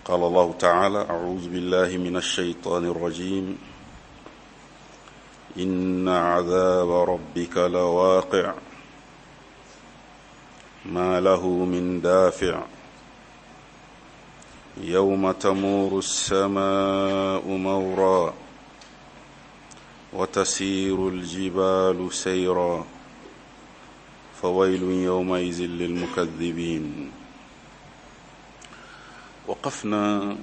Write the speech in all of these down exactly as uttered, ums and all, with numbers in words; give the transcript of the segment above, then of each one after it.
قال الله تعالى: أعوذ بالله من الشيطان الرجيم، إن عذاب ربك لواقع، ما له من دافع، يوم تمور السماء مورا وتسير الجبال سيرا، فويل يومئذ للمكذبين. وقفنا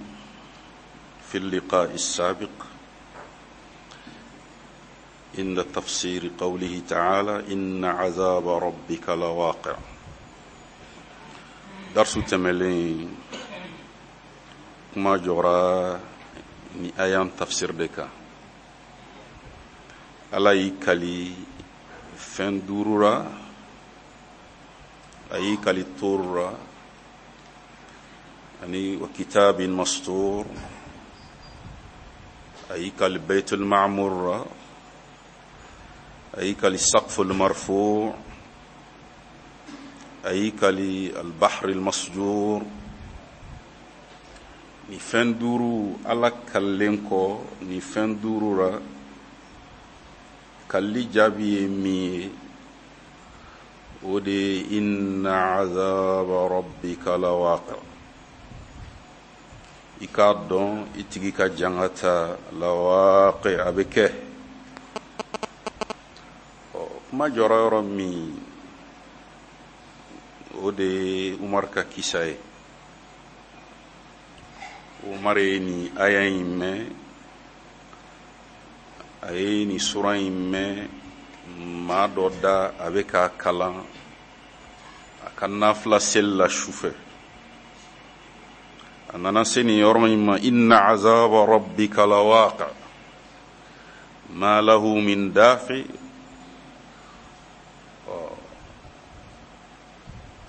في اللقاء السابق عند تفسير قوله تعالى: إن عذاب ربك لواقع. درس tɛmɛlen kuma jɔra ni aya tafsir de kan. Ala y'i kali fɛn duuru ra, a y'i kali tóoru ra ani wa kitabin mastur, a y'i kali baitul ma'mur ra, a y'i kali saqful marfu, a y'i kali albahr almasjur. Ni fɛn duuru Ala kalilen kɔ ni fɛn duuru ra, kalli jaabi ye min ye, o de ye inna azaba rabbika lawaqi. I k'a dɔn i tigi ka jangata lawaqi, a bɛ kɛ. Ɔ, kuma jɔra yɔrɔ min, o de ye Umar ka kisa ye. Umar ye nin aya in mɛn, a ye nin sura in mɛn maa dɔ da, a bɛ k'a kalan a ka nafila seli la su fɛ. A nana se nin yɔrɔ in ma: inna azaba rabbika lawaqi, ma lahu min dafi.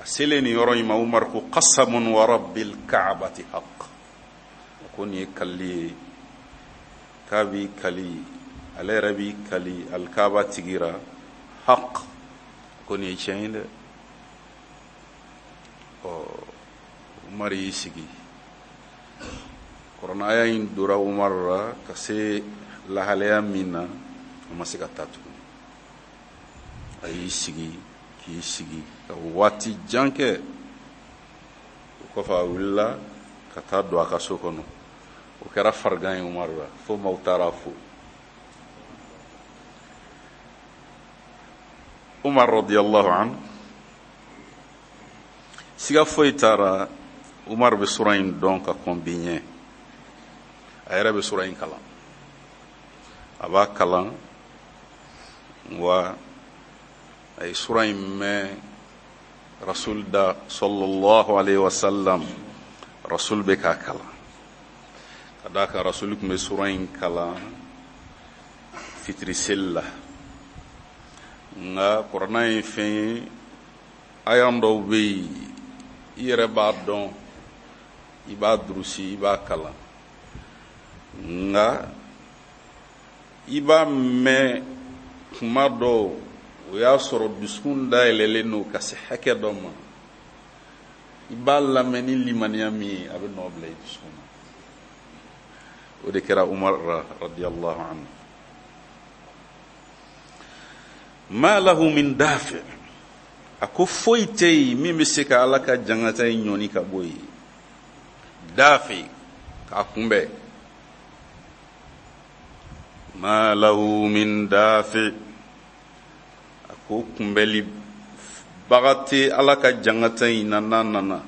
A selen nin yɔrɔ in ma, Umar ko: qasamun wa rabbil ka'bati haqq. Ko nin ye kalili ye, k'a b'i kali, ale yɛrɛ b'i kali alikaba tigi ra, haq, ko nin ye tiɲɛ ye dɛ. Ɔ, Umar y'i sigi, kuranɛ in dora Umar la ka se lahalaya min na, a ma se ka taa tuguni. A y'i sigi k'i sigi ka waati jan kɛ. O kɔfɛ, a wulila ka taa don a ka so kɔnɔ. O kɛra farigan ye Umar la, fo maaw taara fo Umar radiyallahu anhu. Siga foyi taara, Umar bɛ sura in dɔn ka kɔn bi ɲɛ. A yɛrɛ bɛ sura in kalan, a b'a kalan wa. A ye sura in mɛn Rasul da sallallahu alaihi wasallam, Rasul bɛ k'a kalan, ka d'a kan Rasul tun bɛ sura in kalan fitiri seli la. Nka kuranɛ ye fɛn ye, ayan dɔw bɛ yen, i yɛrɛ b'a dɔn, i b'a durusi, i b'a kalan, nka i b'a mɛn kuma dɔw, o y'a sɔrɔ dusukun dayɛlɛlen don ka se hakɛ dɔ ma. I b'a lamɛn ni limaniya min ye, a bɛ nɔ bila i dusukun na. O de kɛra Umar radiyallahu anhu. Ma lahu min dafi, a ko foyi tɛ yen min bɛ se ka Ala ka jangata in ɲɔni ka bɔ yen, dafi, k'a kunbɛn. Ma lahu min dafi, a ko kunbɛli baga tɛ Ala ka jangata in na. N'a nana,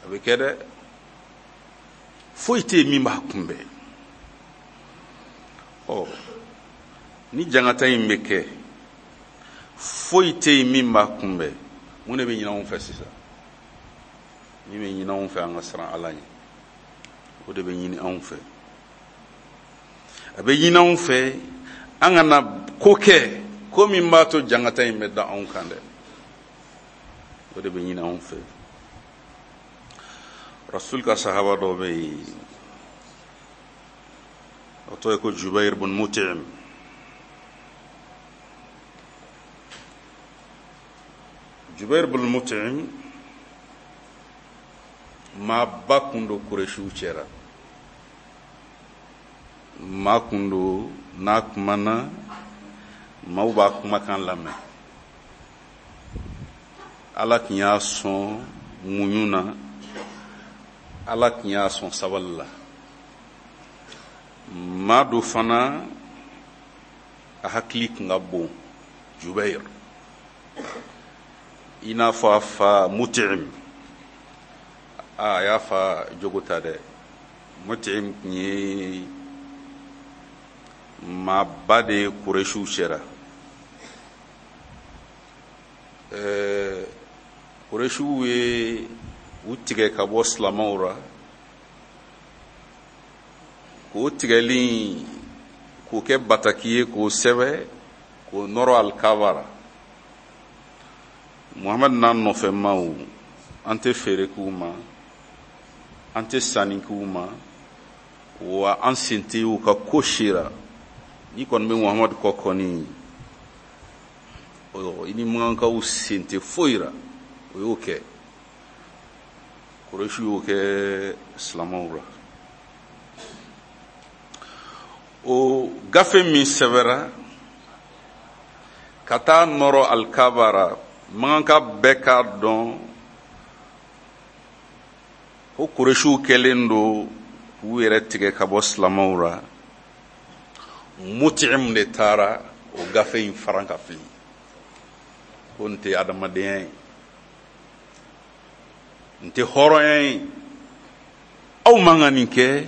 a bɛ kɛ dɛ, foyi tɛ yen min b'a kunbɛn. Ɔ, ni jangata in bɛ kɛ, foyi tɛ yen min b'a kunbɛn, mun de bɛ ɲini anw fɛ sisan? Min bɛ ɲini anw fɛ, an ka siran Ala ɲɛ. O de bɛ ɲini anw fɛ. A bɛ ɲini anw fɛ an kana ko kɛ, ko min b'a to jangata in bɛ da anw kan dɛ. O de bɛ ɲini anw fɛ. Rasul ka sahaba dɔ bɛ yen, o tɔgɔ ye ko Jubair bin Mut'im. Jubair bin Mut'im Maaba kun don Kuresiw cɛra, maa kun don n'a kumana maaw b'a kumakan lamɛn. Ala tun y'a sɔn muɲu na, Ala tun y'a sɔn sabali la. Maa do fana a hakili tun ka bon, Jubayr, i n'a fɔ a fa Mut'im. A y'a fa jogo ta dɛ. Mut'im tun ye maaba de ye Kuresiw cɛra. Ɛɛ Kuresiw ye u tigɛ ka bɔ silamɛw ra, k'o tigɛli k'o kɛ bataki ye, k'o sɛbɛ k'o nɔrɔ alikaba ra. Muhamadu n'a nɔfɛmaw, an tɛ feere k'u ma, an tɛ sanni k'u ma, wa an sen tɛ u ka ko si ra. N'i kɔni bɛ Muhamadu kɔ kɔni, i ni makankaw sen tɛ foyi ra. O y'o kɛ, Kuresiw y'o kɛ silamɛw ra. O gafe min sɛbɛra ka taa nɔrɔ alikaba ra, makanka bɛɛ k'a dɔn ko Kuresiw kɛlen don k'u yɛrɛ tigɛ ka bɔ silamɛw ra. Mut'im de taara o gafe in faran ka fili, ko n tɛ adamadenya ye, n tɛ hɔrɔnya ye, aw man ka nin kɛ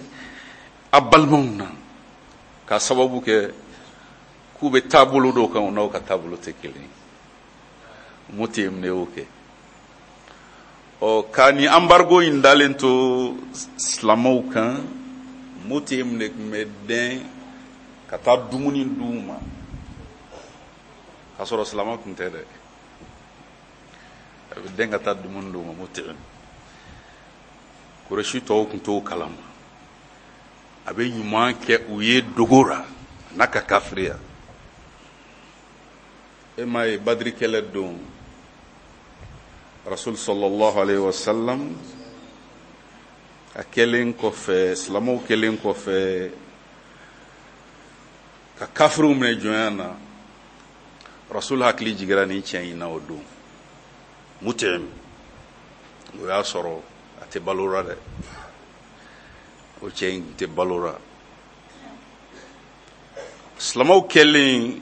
a balimaw na, k'a sababu kɛ k'u bɛ taabolo dɔw kan, u n'aw ka taabolo tɛ kelen ye. Mut'im de y'o kɛ. Ɔ, ka nin embargo in dalen to silamɛw kan, Mut'im de tun bɛ dɛn ka taa dumuni d'u ma, k'a sɔrɔ silamɛ tun tɛ dɛ. A bɛ dɛn ka taa dumuni d'u ma. Mut'im, Kuresi tɔw tun t'o kalama. A bɛ ɲuman kɛ u ye dogo la n'a ka kafiriya. E m'a ye Badiri kɛlɛ don, Rasul sallallahu alayhi wa sallam a kɛlen kɔfɛ, silamɛw kɛlen kɔfɛ ka kafiriw minɛ jɔnya na, Rasul hakili jigira nin cɛ in na o don. Mut'im, o y'a sɔrɔ a tɛ balo la dɛ, o cɛ in tɛ balo la. Silamɛw kɛlen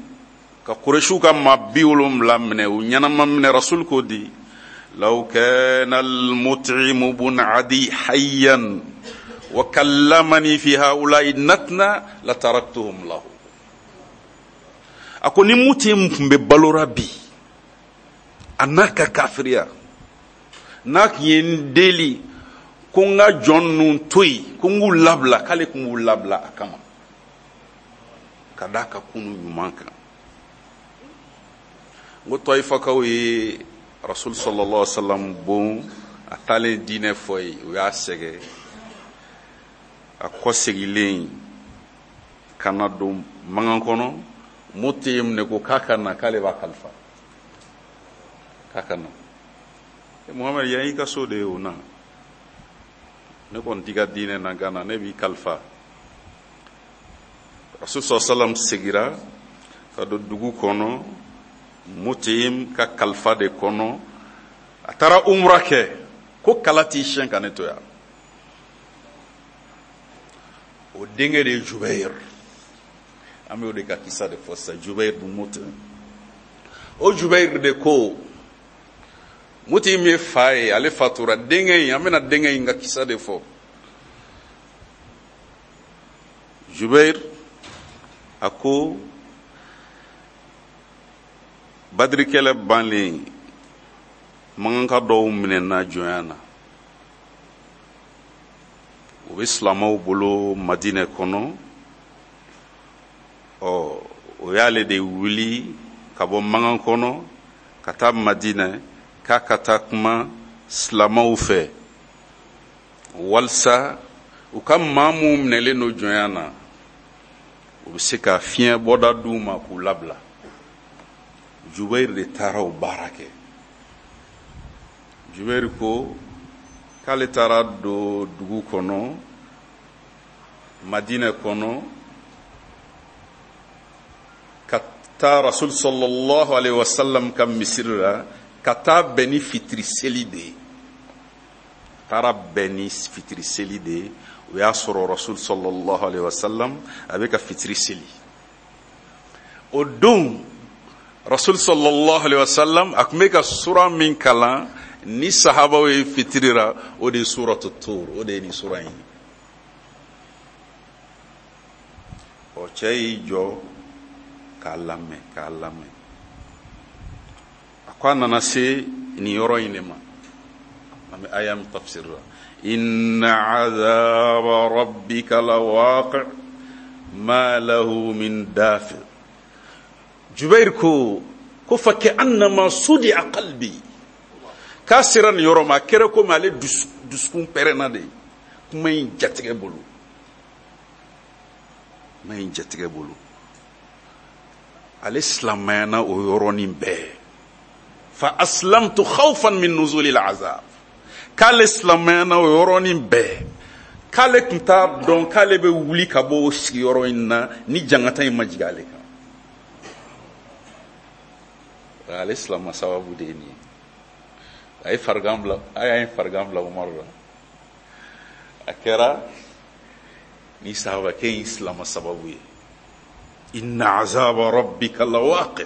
ka Kuresiw ka maa bi wolonwula minɛ, u ɲɛnama minɛ, Rasul ko di: law kana al-mut'imu bun adi hayyan wa kallamani fi haula'i natna la taraktuhum lahu. A ko ni Mut'im tun bɛ balo la bi, a n'a ka kafiriya, n'a tun ye n deli ko n ka jɔn ninnu to yen, ko n k'u labila, k'ale tun b'u labila a kama, ka d'a ka kunu ɲuman kan. N ko Tɔyifakaw ye Rasul sallallahu alaihi wa sallam bon, a taalen diinɛ fɔ ye, u y'a sɛgɛn. A kɔsegilen ka na don mankan kɔnɔ, Mut'im de ko k'a ka na, k'ale b'a kalifa, k'a ka na. Muhamadu, yan y'i ka so de ye o na, ne kɔni t'i ka diinɛ na Gana, ne b'i kalifa. Rasul sallallahu alaihi wa sallam segira ka don dugu kɔnɔ, Mut'im ka kalifa de kɔnɔ. A taara umra kɛ, ko kala t'i siɲɛ ka ne to yan. O denkɛ de ye Jubayr, an bɛ o de ka kisa de fɔ sisan, Jubayr bun Mut'im. O Jubayr de ko, Mut'im ye fa ye, ale fatura, denkɛ in, an bɛna denkɛ in ka kisa de fɔ. Jubayr a ko Badiri kɛlɛ banlen, makanka dɔw minɛna jɔnya na, u bɛ silamɛw bolo Madinɛ kɔnɔ. Ɔ, o y'ale de wuli ka bɔ makan kɔnɔ ka taa Madinɛ, k'a ka taa kuma silamɛw fɛ, walisa u ka maa minnu minɛlen don jɔnya na, u bɛ se ka fiɲɛ bɔda d'u ma k'u labila. Jubayr de taara o baara kɛ. Jubayr ko K'ale taara don dugu kɔnɔ, Madinɛ kɔnɔ, ka taa Rasul sallallahu alaihi wasallam ka misiri la, ka taa bɛn ni fitiri seli de ye. Taara bɛn ni fitiri seli de ye. O y'a sɔrɔ Rasul sallallahu alaihi wasallam a bɛ ka fitiri seli. O don Rasul sallallahu alaihi wasallam a tun bɛ ka sura min kalan ni sahabaw ye fitiri la, o de ye suratu Tur, o de ye nin sura in ye. Ɔ, cɛ y'i jɔ k'a lamɛn, k'a lamɛn. A ko a nana se nin yɔrɔ in de ma. An bɛ aya min tafsir la. Inna azaba rabbika lawaqi ma lahu min dafi. Jubair ko ko fa ka'annama sudi'a qalbi. K'a sera nin yɔrɔ ma, a kɛra komi ale dusukun pɛrɛnna de. Kuma in jatigɛ bolo. Kuma in jatigɛ bolo. Ale silamɛyana o yɔrɔnin bɛɛ. Fa aslamtu khawfan min nuzuli al'azab. K'ale silamɛyana o yɔrɔnin bɛɛ. K'ale tun t'a dɔn k'ale bɛ wuli ka bɔ o sigiyɔrɔ in na ni jangata in ma jigin ale kan. Ale silama sababu de ye nin ye. A ye farigan bila, a y'a ye farigan bila Umaru la. A kɛra ni sahabakɛ in silama sababu ye. Inna azaba rabbika lawaqi.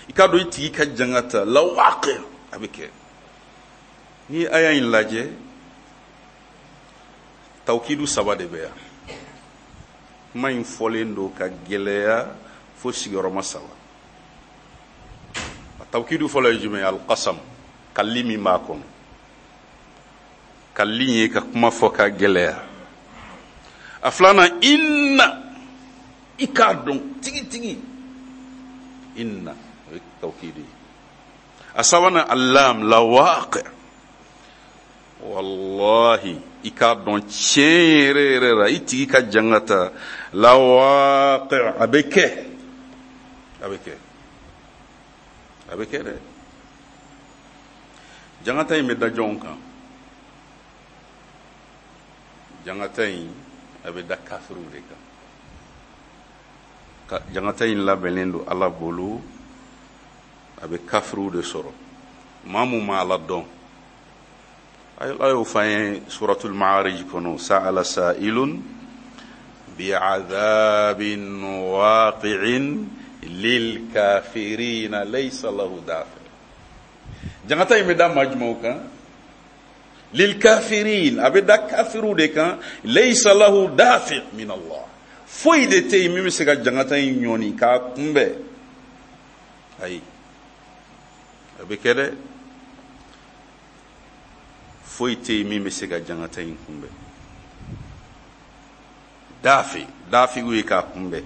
I k'a dɔn i tigi ka jangata lawaqi, a bɛ kɛ. Ni aya in lajɛ, tawkidu saba de bɛ yan. Kuma in fɔlen don ka gɛlɛya fo sigiyɔrɔma saba. A tawkidu fɔlɔ ye jumɛn ye? Alqasam, kalli min b'a kɔnɔ. Kalli ye ka kuma fɔ ka gɛlɛya. A filanan, inna, i k'a dɔn tigitigi. Inna, o ye tawkidu ye. A sabanan, allam, lawaqi. Wallahi, i k'a dɔn tiɲɛ yɛrɛ yɛrɛ la, i tigi ka jangata lawaqi, a bɛ kɛ. A bɛ kɛ. A bɛ kɛ dɛ. Jangata in bɛ da jɔnw kan? Jangata in a bɛ da kafiriw de kan. Ka jangata in labɛnnen don Ala bolo, a bɛ kafiriw de sɔrɔ. Maa mun ma Ala dɔn, Ala y'o fɔ an ye suratul Ma'arij kɔnɔ, sa'ala sa'ilun bi'adhabin waqi'in lil kafirina laysa lahu dafi. Jangata in bɛ da maa jumɛnw kan? Lil kafirin, a bɛ da kafiriw de kan, laysa lahu dafi min Allah. Foyi de tɛ yen min bɛ se ka jangata in ɲɔni k'a kunbɛn. Ayi, a bɛ kɛ dɛ. Foyi tɛ yen min bɛ se ka jangata in kunbɛn. Dafi, dafi ye k'a kunbɛn.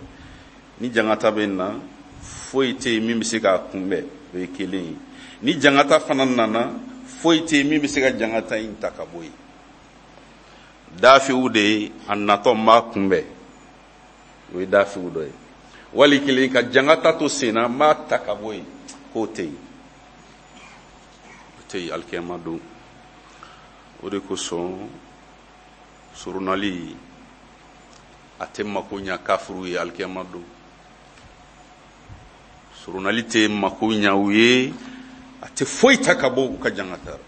Ni jangata bɛ na, foyi tɛ yen min bɛ se k'a kunbɛn, o ye kelen ye. Ni jangata fana nana, foyi tɛ yen min bɛ se ka jangata in ta ka bɔ yen. Dafiw de ye a natɔ n b'a kunbɛn, o ye dafiw dɔ ye. Wali kelen ka jangata to sen na, n b'a ta ka bɔ yen, k'o tɛ yen. O tɛ yen alikiyama don. O de kosɔn surunali a tɛ mako ɲa kafiriw ye alikiyama don. Surunali tɛ mako ɲa u ye, a tɛ foyi ta ka bɔ u ka jangata la.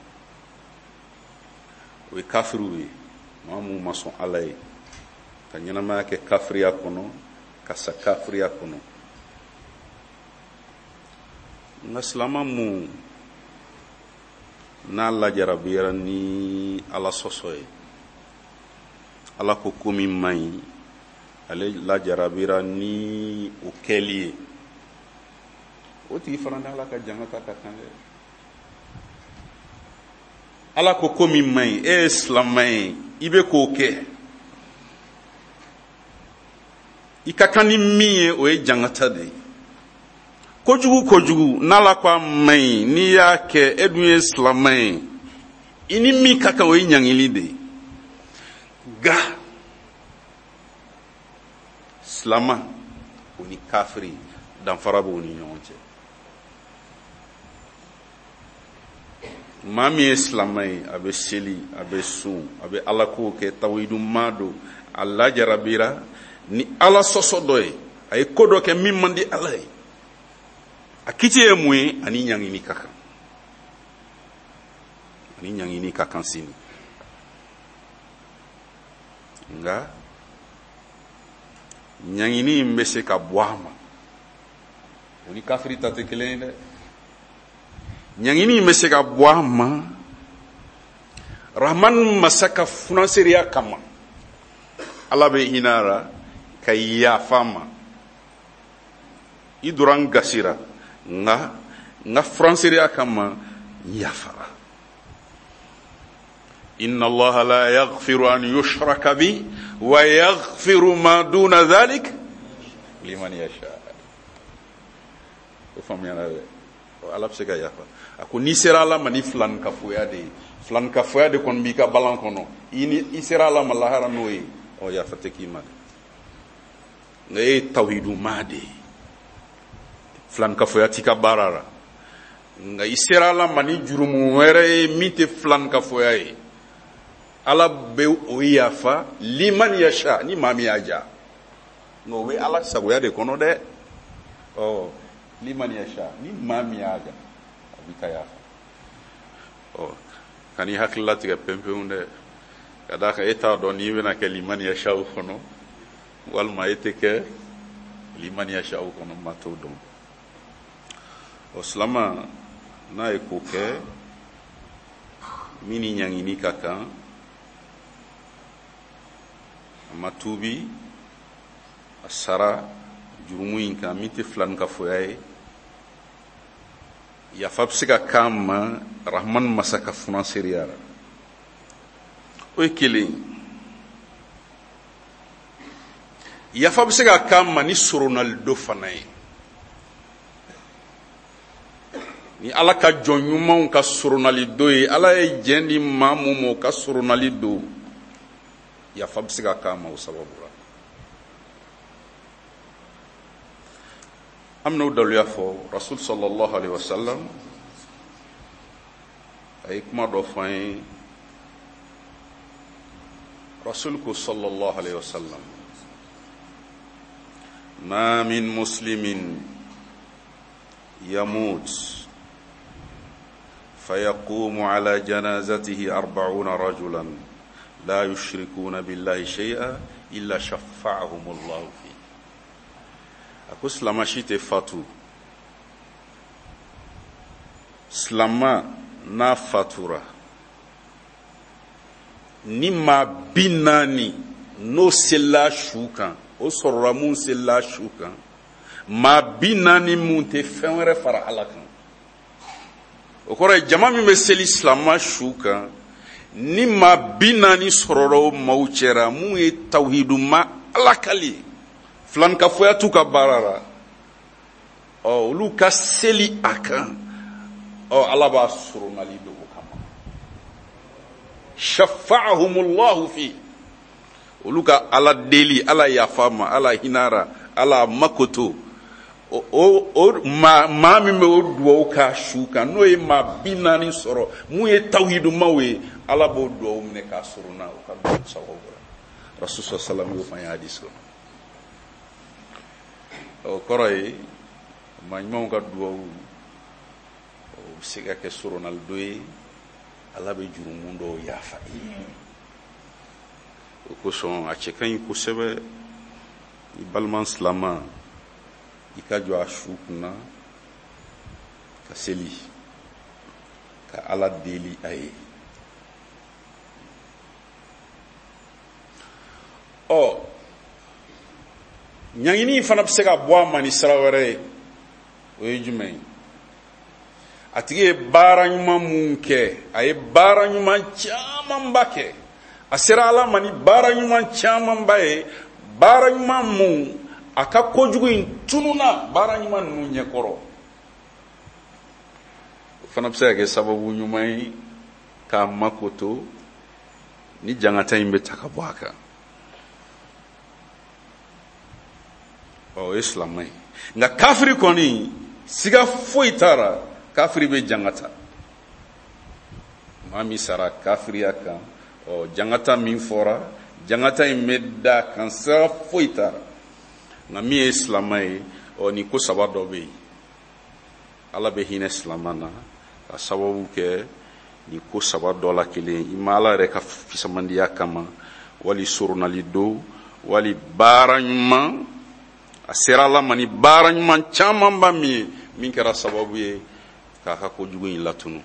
O ye kafiriw ye, maa mun ma sɔn Ala ye, ka ɲɛnamaya kɛ kafiriya kɔnɔ, ka sa kafiriya kɔnɔ. Nka silama mun n'a lajarabiyara ni Ala sɔsɔ ye, Ala ko ko min man ɲi, ale lajarabira ni o kɛli ye, o tigi fana ni Ala ka jangata ka kan dɛ. Ala ko ko min man ɲi, e ye silamɛ ye, i bɛ k'o kɛ, i ka kan ni min ye, o ye jangata de ye. Kojugu kojugu n'Ala ko a man ɲi, n'i y'a kɛ, e dun ye silamɛ ye, i ni min ka kan, o ye ɲangili de ye. Nka silama o ni kafiri danfara b'u ni ɲɔgɔn cɛ. Maa min ye silamɛ ye, a bɛ seli, a bɛ sun, a bɛ ala kow kɛ, tawhidu maa don, a lajarabira ni ala sɔsɔ dɔ ye, a ye ko dɔ kɛ min man di ala ye, a kiti ye mun ye? Ani ɲangini ka kan, ani ɲangini ka kan sini. Nka ɲangini in bɛ se ka bɔ a ma, o ni kafiri ta tɛ kelen ye dɛ. Ɲangini in bɛ se ka bɔ a ma Rahman masa ka funanseriya kama, ala bɛ hinɛ a la ka yafa a ma. I donna n gasira, nka n ka funanseriya kama n yafara. Inna Allaha la yaghfiru an yushraka bi wa yaghfiru ma duna dhalik liman yasha. O faamuyara dɛ. Ala bɛ se ka yafa. A ko n'i sera ala ma ni filankafoya de ye, filankafoya de kɔni b'i ka balan kɔnɔ, i ni i sera ala ma lahara n'o ye, ɔ yafa tɛ k'i ma dɛ. Nka e ye tawhidu maa de ye, filankafoya t'i ka baara la, nka i sera ala ma ni jurumu wɛrɛ ye min tɛ filankafoya ye, ala bɛ o yafa liman yasha, ni maa min y'a ja. Nka o bɛ ala sagoya de kɔnɔ dɛ. Ɔ liman yasha, ni maa min y'a ja, a b'i ka yafa. Ɔ kan'i hakili latigɛ pewu dɛ, ka d'a kan e t'a dɔn n'i bɛna kɛ liman yasha kɔnɔ walima e tɛ kɛ liman yasha kɔnɔ, maa t'o dɔn. Ɔ silama n'a ye ko kɛ min ni ɲangini ka kan, a ma tuubi, a sara jurumu in kan min tɛ filankafoya ye, yafa bɛ se ka k'a ma Rahman masa ka funanseriya la. O ye kelen ye. Yafa bɛ se ka k'a ma ni soronali dɔ fana ye, ni ala ka jɔn ɲumanw ka soronali dɔ ye, ala ye jɛn di maa mun ma o ka soronali don, yafa bɛ se ka k'a ma o sababu la. An bɛn'o daluya fɔ. Rasul sallallahu alaihi wasallam a ye kuma dɔ fɔ an ye. Rasul ko sallallahu alaihi wasallam, ma min muslimin yamut fayaqumu ala janazatihi arba'una rajulan la yushrikuna billahi shay'a illa shaffa'ahumullahu fi. A ko silama si tɛ fatu, silama n'a fatura ni maa bi naani n'o selila su kan, o sɔrɔla mun selila su kan, maa bi naani mun tɛ fɛn wɛrɛ fara ala kan. O kɔrɔ ye jama min bɛ seli silama su kan, ni maa bi naani sɔrɔla o maaw cɛra mun ye tawhidu ma ala kali, filankafoya t'u ka baara la, ɔ olu ka seli a kan, ɔ ala b'a soronali don o kama. Shafa'ahumullahu fi, olu ka ala deli, ala yafa ma, ala hinara, ala makoto. O o o maa maa min bɛ o duwawu k'a su kan, n'o ye maa bi naani sɔrɔ mun ye tawhidumaw ye, ala b'o duwawu minɛ k'a sorona o ka duwawu sababu la. Rasul sallallahu alaihi wasallam y'o fɔ an ye hadisi kɔnɔ. O kɔrɔ ye maa ɲumanw ka duwawu o bɛ se ka kɛ soronali dɔ ye, ala bɛ jurumu dɔw yafa i ye. O kosɔn a cɛ ka ɲi kosɛbɛ i balima silama i ka jɔ a su kunna ka seli ka ala deli a ye. Ɔ ɲangini fana bɛ se ka bɔ a ma ni sira wɛrɛ ye, o ye jumɛn ye? A tigi ye baara ɲuman mun kɛ, a ye baara ɲuman camanba kɛ, a sera ala ma ni baara ɲuman camanba ye, baara ɲuman mun a ka kojugu in tununa baara ɲuman ninnu ɲɛkɔrɔ, o fana bɛ se ka kɛ sababu ɲuman ye k'a makoto ni jangata in bɛ ta ka bɔ a kan. Ɔ o ye silamɛ ye. Nka kafiri kɔni siga foyi t'a la, kafiri bɛ jangata. Maa min sara kafiriya kan, ɔ jangata min fɔra, jangata in bɛ da kan, sira foyi t'a la. Nka min ye silamɛ ye, ɔ nin ko saba dɔ bɛ yen. Ala bɛ hinɛ silamɛ na ka sababu kɛ nin ko saba dɔ la kelen, i ma Ala yɛrɛ ka fisamandiya kama, wali soronali don, wali baara ɲuman, a sera Ala ma ni baara ɲuman camanba min ye, min kɛra sababu ye k'a ka kojugu in latunu.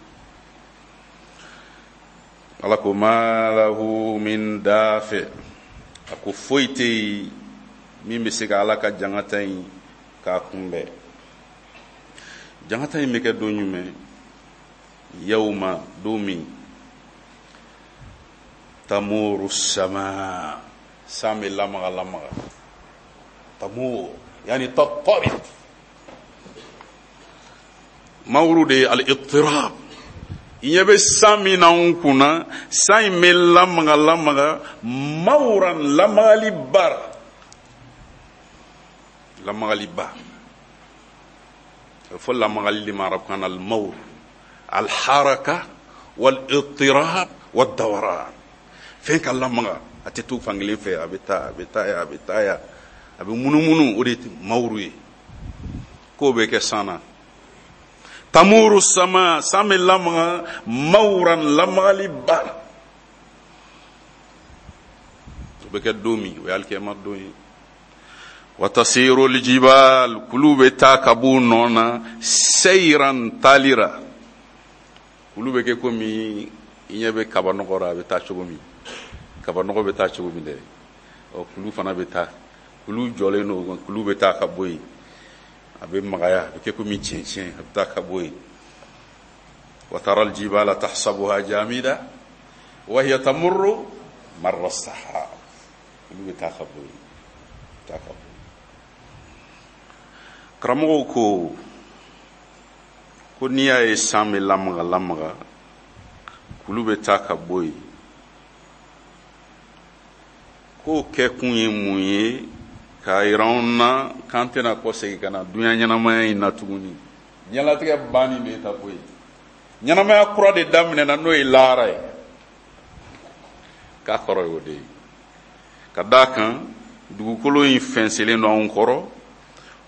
Ala ko ma lahu min dafi, a ko foyi tɛ yen min bɛ se ka Ala ka jangata in k'a kunbɛn. Jangata in bɛ kɛ don jumɛn? Yawma, don min tamuru sama, san bɛ lamaga lamaga. Tamur yani tattarib, mawuru de ye al-ittirab. I ɲɛ bɛ san min na anw kunna, san in bɛ lamaga lamaga, mawuran lamagali bara, lamagali ba. A bɛ fɔ lamagali de ma arabukan na al-mawr, al-haraka wal-ittirab wad-dawaran. Fɛn ka lamaga, a tɛ to fankelen fɛ, a bɛ taa, a bɛ taa yan, a bɛ taa yan, a bɛ munumunu, o de ye mawuru ye. K'o bɛ kɛ san na. Tamuru sama, san bɛ lamaga, mawuran lamagali ba. O bɛ kɛ don min, o ye alikiyama don ye. Wa tasiru aljibal, kulu bɛ taa ka b'u nɔ na, seyran talira. Kulu bɛ kɛ komi i ɲɛ bɛ kabanɔgɔ la, a bɛ taa cogo min. Kabanɔgɔ bɛ taa cogo min dɛ, ɔ kulu fana bɛ taa. Kulu jɔlen don, kulu bɛ taa ka bɔ yen. A bɛ magaya, a bɛ kɛ komi tiɲɛ, a bɛ taa ka bɔ yen. Wa tara aljibala tahsabuha jamida wa hiya tamurru marra sahab. Kulu bɛ taa ka bɔ yen, taa ka bɔ yen. Karamɔgɔw ko ko n'i y'a ye san bɛ lamaga lamaga, kulu bɛ taa ka bɔ yen, k'o kɛkun ye mun ye? K'a yira anw na k'an tɛna kɔsegin ka na dunuya ɲɛnamaya in na tuguni. Diɲɛlatigɛ banni de ye ta ko ye. Ɲɛnamaya kura de daminɛna, n'o ye lahara ye. K'a kɔrɔ y'o de ye. Ka d'a kan dugukolo in fɛnsɛlen don anw kɔrɔ,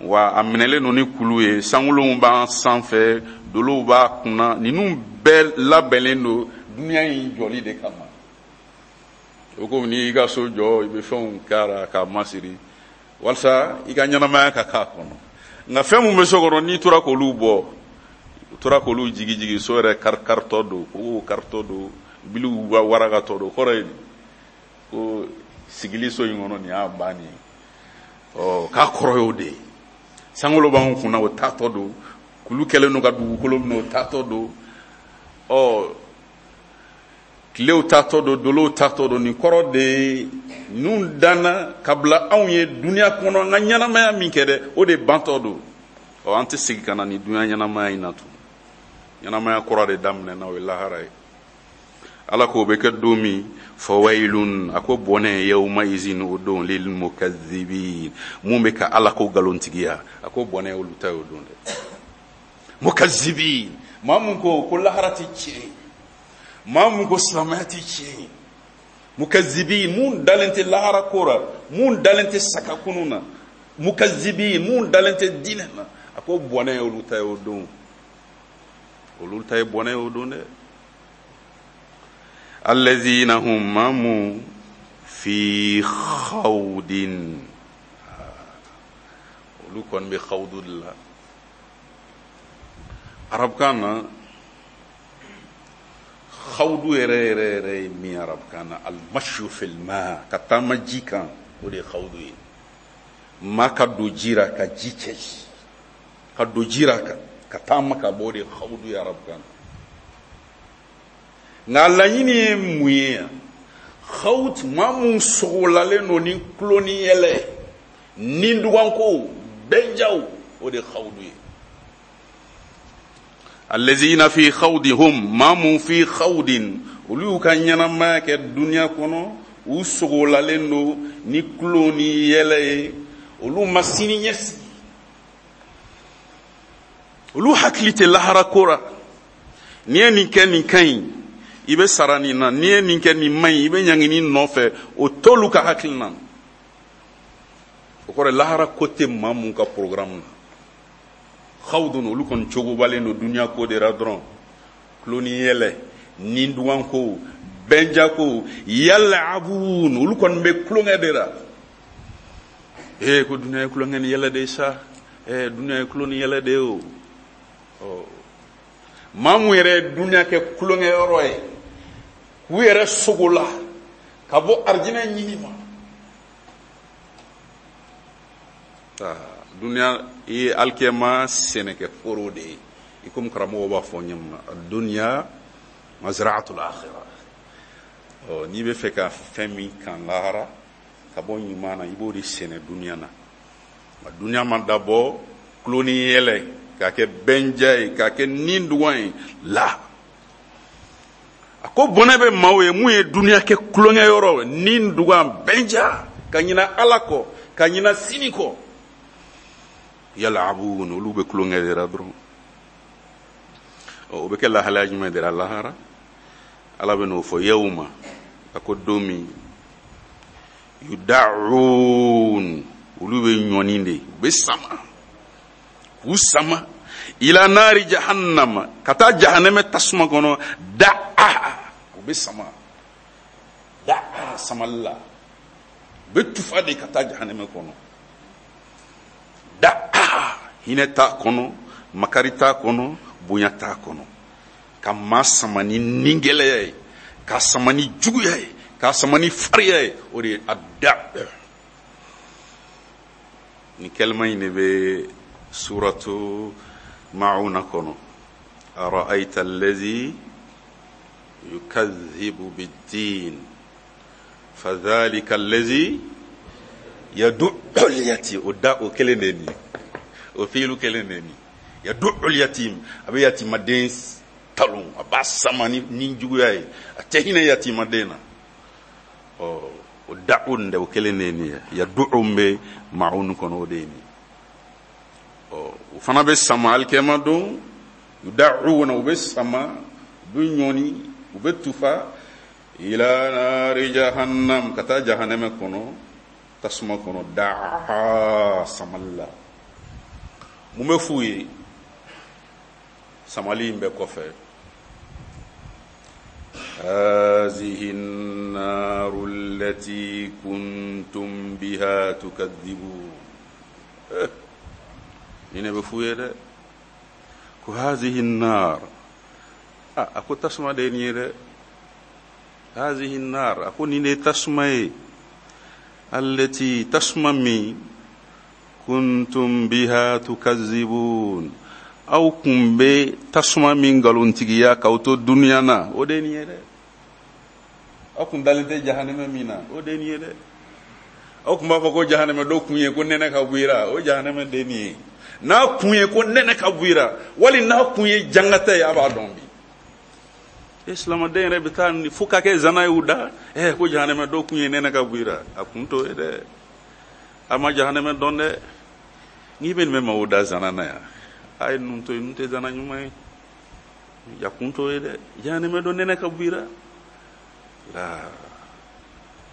wa a minɛlen don ni kulu ye, sankolow b'an sanfɛ, dolow b'a kunna, ninnu bɛɛ labɛnnen don dunuya in jɔli de kama. O komi n'i y'i ka so jɔ, i bɛ fɛnw k'a la k'a masiri walasa i ka ɲɛnamaya ka k'a kɔnɔ. Nka fɛn mun bɛ so kɔnɔ, n'i tora k'olu bɔ, u tora k'olu jigi jigi, so yɛrɛ kari karitɔ don, kogow karitɔ don, biliw warakatɔ don, kɔrɔ ye ko sigili so in kɔnɔ nin y'a bannen ye. Ɔ k'a kɔrɔ y'o de ye. Sankolo b'anw kunna, o taatɔ don, kulu kɛlen don ka dugukolo minɛ, o taatɔ don, ɔ tilew taatɔ don, dolow taatɔ don. Nin kɔrɔ de ye ninnu danna ka bila anw ye dunuya kɔnɔ, an ka ɲɛnamaya min kɛ dɛ, o de bantɔ don. Ɔ an tɛ segin ka na nin dunuya ɲɛnamaya in na tun. Ɲɛnamaya kura de daminɛna, o ye lahara ye. Ala k'o bɛ kɛ don min, fawailun, a ko bɔnɛ, yawma izin, o don, lil mukazzibin, mun bɛ ka Ala ko nkalontigiya, a ko bɔnɛ olu ta y'o don dɛ. Mukazzibin, maa mun ko ko lahara tɛ tiɲɛ ye, maa mun ko silamɛya tɛ tiɲɛ ye, mukazzibin, mun dalen tɛ lahara ko la, mun dalen tɛ sakakunu na, mukazzibin, mun dalen tɛ diinɛ na, a ko bɔnɛ olu ta y'o don. Olu ta ye bɔnɛ y'o don dɛ. Allazina hum mamu fi khawdin, olu kɔni bɛ khawdu de la. Arabukan na khawdu yɛrɛ yɛrɛ yɛrɛ ye min arabukan na, almashu fil ma, ka taama ji kan, o de ye khawdu ye. Maa ka don ji la ka ji cɛ, ka don ji la ka ka taama ka bɔ, o de ye khawdu ye arabukan na. Nka laɲini ye mun ye yan? Khawd, maa mun sogolalen don ni tulo ni yɛlɛ, ni duganko, bɛnjaw, o de ye khawdu ye. Allazina fi khawdihum, maa mun fi khawdin, olu y'u ka ɲɛnamaya kɛ dunuya kɔnɔ, u sogolalen don ni tulo ni yɛlɛ ye, olu ma sini ɲɛsigi, olu hakili tɛ lahara ko la. N'i ye nin kɛ nin ka ɲi, i bɛ sara nin na, n'i ye nin kɛ nin man ɲi, i bɛ ɲangi nin nɔfɛ, o t'olu ka hakilina na. O kɔrɔ lahara ko tɛ maa mun ka programme na. Xawdun, olu kɔni cogobalen don duniya ko de la dɔrɔn, tulo ni yɛlɛ, ni dugan ko, bɛnja ko, yalabun, olu kɔni bɛ tulonkɛ de la. Ee ko duniya ye tulonkɛ ni yɛlɛ de ye sa, ee duniya ye tulo ni yɛlɛ de ye o. Ɔ maa mun yɛrɛ ye duniya kɛ tulonkɛ yɔrɔ ye, k'u yɛrɛ sogo la ka bɔ arijinɛ ɲini ma. Duniya ye alikiyama sɛnɛkɛ foro de ye, i komi karamɔgɔw b'a fɔ ɲɛ ma, duniya mazra'atul akhirah. Ɔ n'i bɛ fɛ ka fɛn min kan lahara ka bɔ ɲuman na, i b'o de sɛnɛ duniya na. Nka duniya ma dabɔ tulo ni yɛlɛ k'a kɛ bɛnja ye, k'a kɛ nin dugan ye la. A ko bɔnɛ bɛ maaw ye mun ye duniya kɛ tulonkɛ yɔrɔ, nin dugan, bɛnja, ka ɲina Ala kɔ, ka ɲina sini kɔ. Yalabun, olu bɛ tulonkɛ de la dɔrɔn. O bɛ kɛ lahalaya jumɛn de la lahara? Ala bɛ n'o fɔ yawma, a ko don min yuda'un, olu bɛ ɲɔni de, u bɛ sama, k'u sama ila naari jahannama, ka taa jahanɛmɛ tasuma kɔnɔ. Da'a, u bɛ sama, da'a samali la, u bɛ tufa de ka taa jahanɛmɛ kɔnɔ. Da'a, hinɛ t'a kɔnɔ, makari t'a kɔnɔ, bonya t'a kɔnɔ. Ka maa sama ni ningɛlɛya ye, k'a sama ni juguya ye, k'a sama ni fariya ye, o de ye a da. Nin kɛlɛma in de bɛ suratu Mauna kɔnɔ. Ara'ayta allazi yukazzibu bid-din fadhalika allazi yad'u al-yatim. O da o kelen de ye nin ye, o fiilu kelen de ye nin ye. Yad'u al-yatim, a bɛ yatimaden talon, a b'a sama ni ni juguya ye, a tɛ hinɛ yatimaden na. Ɔ o da'u nin dɛ, o kelen de ye nin ye. Yad'u bɛ Maun kɔnɔ, o de ye nin ye. Ɔ o fana bɛ sama alikiyama don, yuda'una, u bɛ sama, u bɛ ɲɔni, u bɛ tufa ila naari jahannam, ka taa jahanɛmɛ kɔnɔ, tasuma kɔnɔ. Da'a, samali la. Mun bɛ f'u ye samali in bɛɛ kɔfɛ? Hazihi naaru allati kuntum biha tukadhibun. Nin ne bɛ f'u ye dɛ, ko hazihi naar, a ko tasuma de ye nin ye dɛ. Hazihi naar, a ko nin de ye tasuma ye, allati, tasuma min, kuntum biha tukadhibun, aw kun bɛ tasuma min nkalontigiya k'aw to duniya na, o de ye nin ye dɛ. Aw kun dalen tɛ jahanɛmɛ min na, o de ye nin ye dɛ. Aw kun b'a fɔ ko jahanɛmɛ dɔ kun ye ko nɛnɛ ka bɔ i la, o jahanɛmɛ de ye nin ye. N'a kun ye ko nɛnɛ ka bɔ i la, wali n'a kun ye jangata ye, a b'a dɔn bi. E silamɛden yɛrɛ bɛ taa fo ka kɛ zana ye u da, ɛ ko jahanɛmɛ dɔ kun ye nɛnɛ ka bɔ i la, a kun t'o ye dɛ. A ma jahanɛmɛ dɔn dɛ. N'i bɛ nin bɛ maaw da zana na yan, a ye ninnu to yen, ninnu tɛ zana ɲuman ye, a kun t'o ye dɛ. Jahanɛmɛ dɔ nɛnɛ ka bɔ i la, la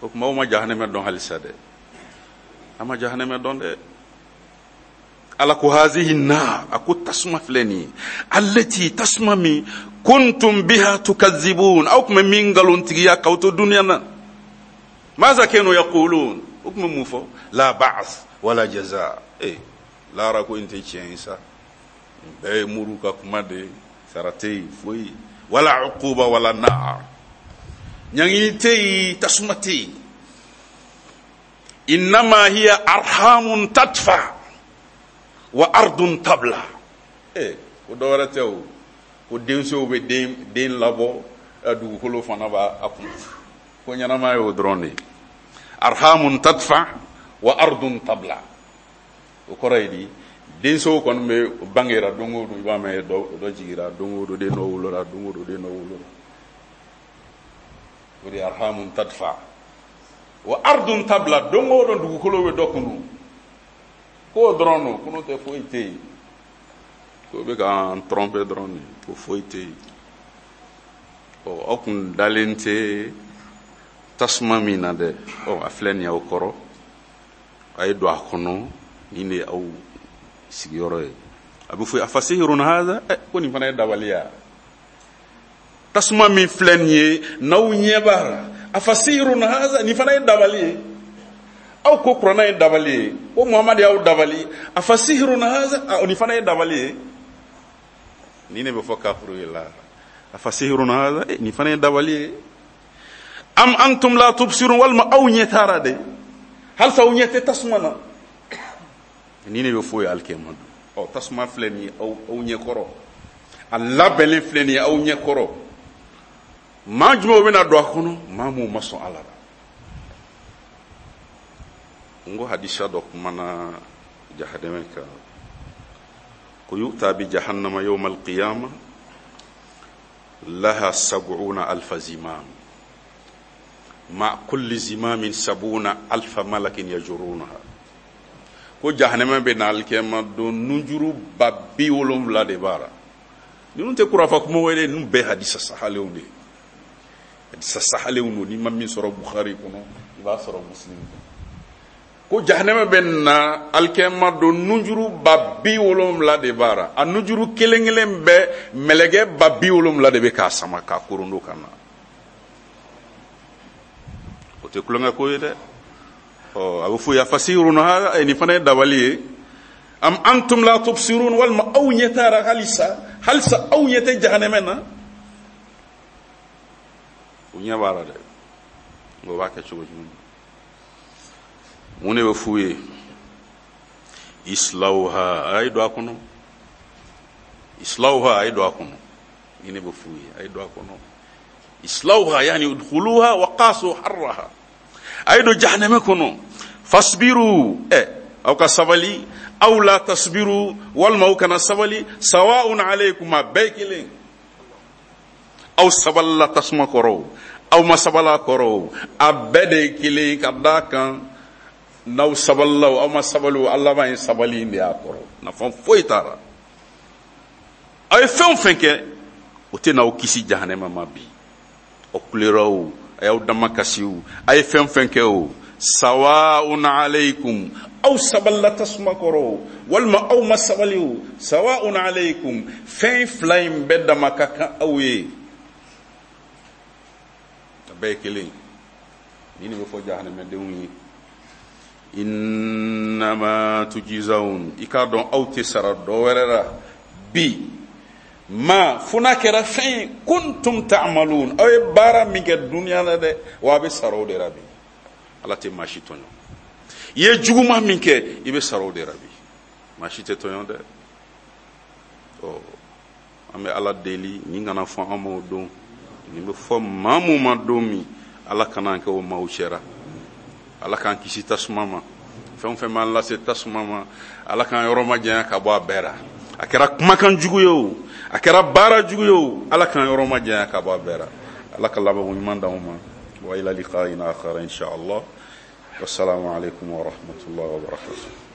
o tuma aw ma jahanɛmɛ dɔn halisa dɛ, a ma jahanɛmɛ dɔn dɛ. Ala ko hazihi naar, a ko tasuma filɛ nin ye, allati, tasuma min, kuntum biha tukazibun, aw tun bɛ min nkalontigiya k'aw to duniya na. Maza kanu yaqulun, o tun bɛ mun fɔ? La ba'as wala jaza. Eh, lahara ko in tɛ tiɲɛ ye sa, nin bɛɛ ye muru ka kuma de ye, sara tɛ yen foyi, wala uquba wala naar, ɲangini tɛ yen, tasuma tɛ yen. Innama hiya arhamun tadfa wa ardun tabla. Eh, ko dɔ wɛrɛ tɛ o, ko densow bɛ den den labɔ, dugukolo fana b'a a kun, ko ɲɛnama ye o dɔrɔn de ye. Arhamun tadfa wa ardun tabla, o kɔrɔ ye di, densow kɔni bɛ bangera don o don, i b'a mɛn dɔ dɔ jigira don o don, den dɔ wolola don o don, den dɔ wolola, o de ye arhamun tadfa wa ardun tabla. Don o don dugukolo bɛ dɔ kunu, k'o dɔrɔn don, kunu tɛ foyi tɛ yen, k'o bɛ k'an tromper dɔrɔn de, ko foyi tɛ yen. Ɔ aw kun dalen tɛ tasuma min na dɛ, ɔ a filɛ nin ye aw kɔrɔ, a ye don a kɔnɔ, nin de ye aw sigiyɔrɔ ye. A bɛ fɔ afasihirun haza, ɛ ko nin fana ye dabali ye, tasuma min filɛ nin ye n'aw ɲɛ b'a la, afasihirun haza, nin fana ye dabali ye. Aw ko kuranna ye dabali ye, ko Muhamadu y'aw dabali, afasihirun haza, nin fana ye dabali ye. Nin de bɛ fɔ kafiru ye la, afasihirun haza, nin fana ye dabali ye. Am antum la tubsirun, walima aw ɲɛ taara de, halisa aw ɲɛ tɛ tasuma na. Nin de bɛ fɔ ye alikiyama don. Ɔ tasuma filɛ nin ye aw aw ɲɛ kɔrɔ, a labɛnnen filɛ nin ye aw ɲɛ kɔrɔ. Maa jumɛnw bɛna don a kɔnɔ? Maa minnu ma sɔn Ala la. N ko hadisa dɔ kumana jahanama kan, ko yu'ta bi jahannama yawma alqiyama laha sab'una alfa zimam ma kulli zimamin sab'una alfa malakin yajurunaha. Ko jahanama bɛ na alikiyama don, nunjuru ba bi wolonwula de b'a la. Ninnu tɛ kurafa kumaw ye dɛ, ninnu bɛɛ hadisa sahalenw de ye. Hadisa sahalenw don, n'i ma min sɔrɔ Bukhari kɔnɔ, i b'a sɔrɔ Muslim kɔnɔ. Ko jahanama bɛ na alikiyama don, nunjuru ba bi wolonwula de b'a la. A nunjuru kelen kelen bɛɛ mɛlɛkɛ ba bi wolonwula de bɛ k'a sama k'a korondo ka na. O tɛ kulonkɛ ko ye dɛ. Ɔ a bɛ fɔ afasihirun haza, nin fana ye dabali ye. Am antum la tubsirun, walima aw ɲɛ taara halisa, halisa aw ɲɛ tɛ jahanama na. U ɲɛ b'a la dɛ, nka o b'a kɛ cogo jumɛn? Mun de bɛ f'u ye? Islawha, a ye don a kɔnɔ. Islawha, a ye don a kɔnɔ. Nin de bɛ f'u ye, a ye don a kɔnɔ. Islawha yani udkhuluha wa qasu harraha, a ye don jahanama kɔnɔ. Fasbiru, ɛ aw ka sabali, aw la tasbiru, walima aw kana sabali, sawa'un alaykum, a bɛɛ kelen. Aw sabalila tasuma kɔrɔ, aw ma sabala kɔrɔ, a bɛɛ de ye kelen. Ka d'a kan n'aw sabalila o, aw ma sabali o, a laban ye sabali in de y'a kɔrɔ, nafa foyi t'a la. Aw ye fɛn o fɛn kɛ, o tɛ n'aw kisi jahanama ma bi. Aw kulera o, a y'aw dama kasi o, a ye fɛn fɛn kɛ o, sawa'un alaykum, aw sabalila tasuma kɔrɔ o, walima aw ma sabali o, sawa'un alaykum, fɛn fila in bɛɛ dama ka kan aw ye, a bɛɛ ye kelen. Nin de bɛ fɔ jahanamadenw ye. Innama tujizawun, i k'a dɔn aw tɛ sara dɔ wɛrɛ la bi, ma fo n'a kɛra fɛn ye, kuntum ta'malun, aw ye baara min kɛ duniya la dɛ, wa a bɛ sara o de la bi. Ala tɛ maa si tɔɲɔ. I ye juguman min kɛ, i bɛ sara o de la bi, maa si tɛ tɔɲɔ dɛ. Ɔ an bɛ Ala deli, nin kana fɔ an ma o don, nin bɛ fɔ maa mun ma don min, Ala kana an kɛ o maaw cɛra. Ala k'an kisi tasuma ma, fɛn o fɛn b'an lase tasuma ma, Ala k'an yɔrɔ majanya ka bɔ a bɛɛ la. A kɛra kumakan jugu ye o, a kɛra baara jugu ye o, Ala k'an yɔrɔ majanya ka bɔ a bɛɛ la. Ala ka labanko ɲuman d'anw ma. Wa ila liqa'in akhar insha Allah. Wassalamu alaikum wa rahmatullahi wa barakatuh.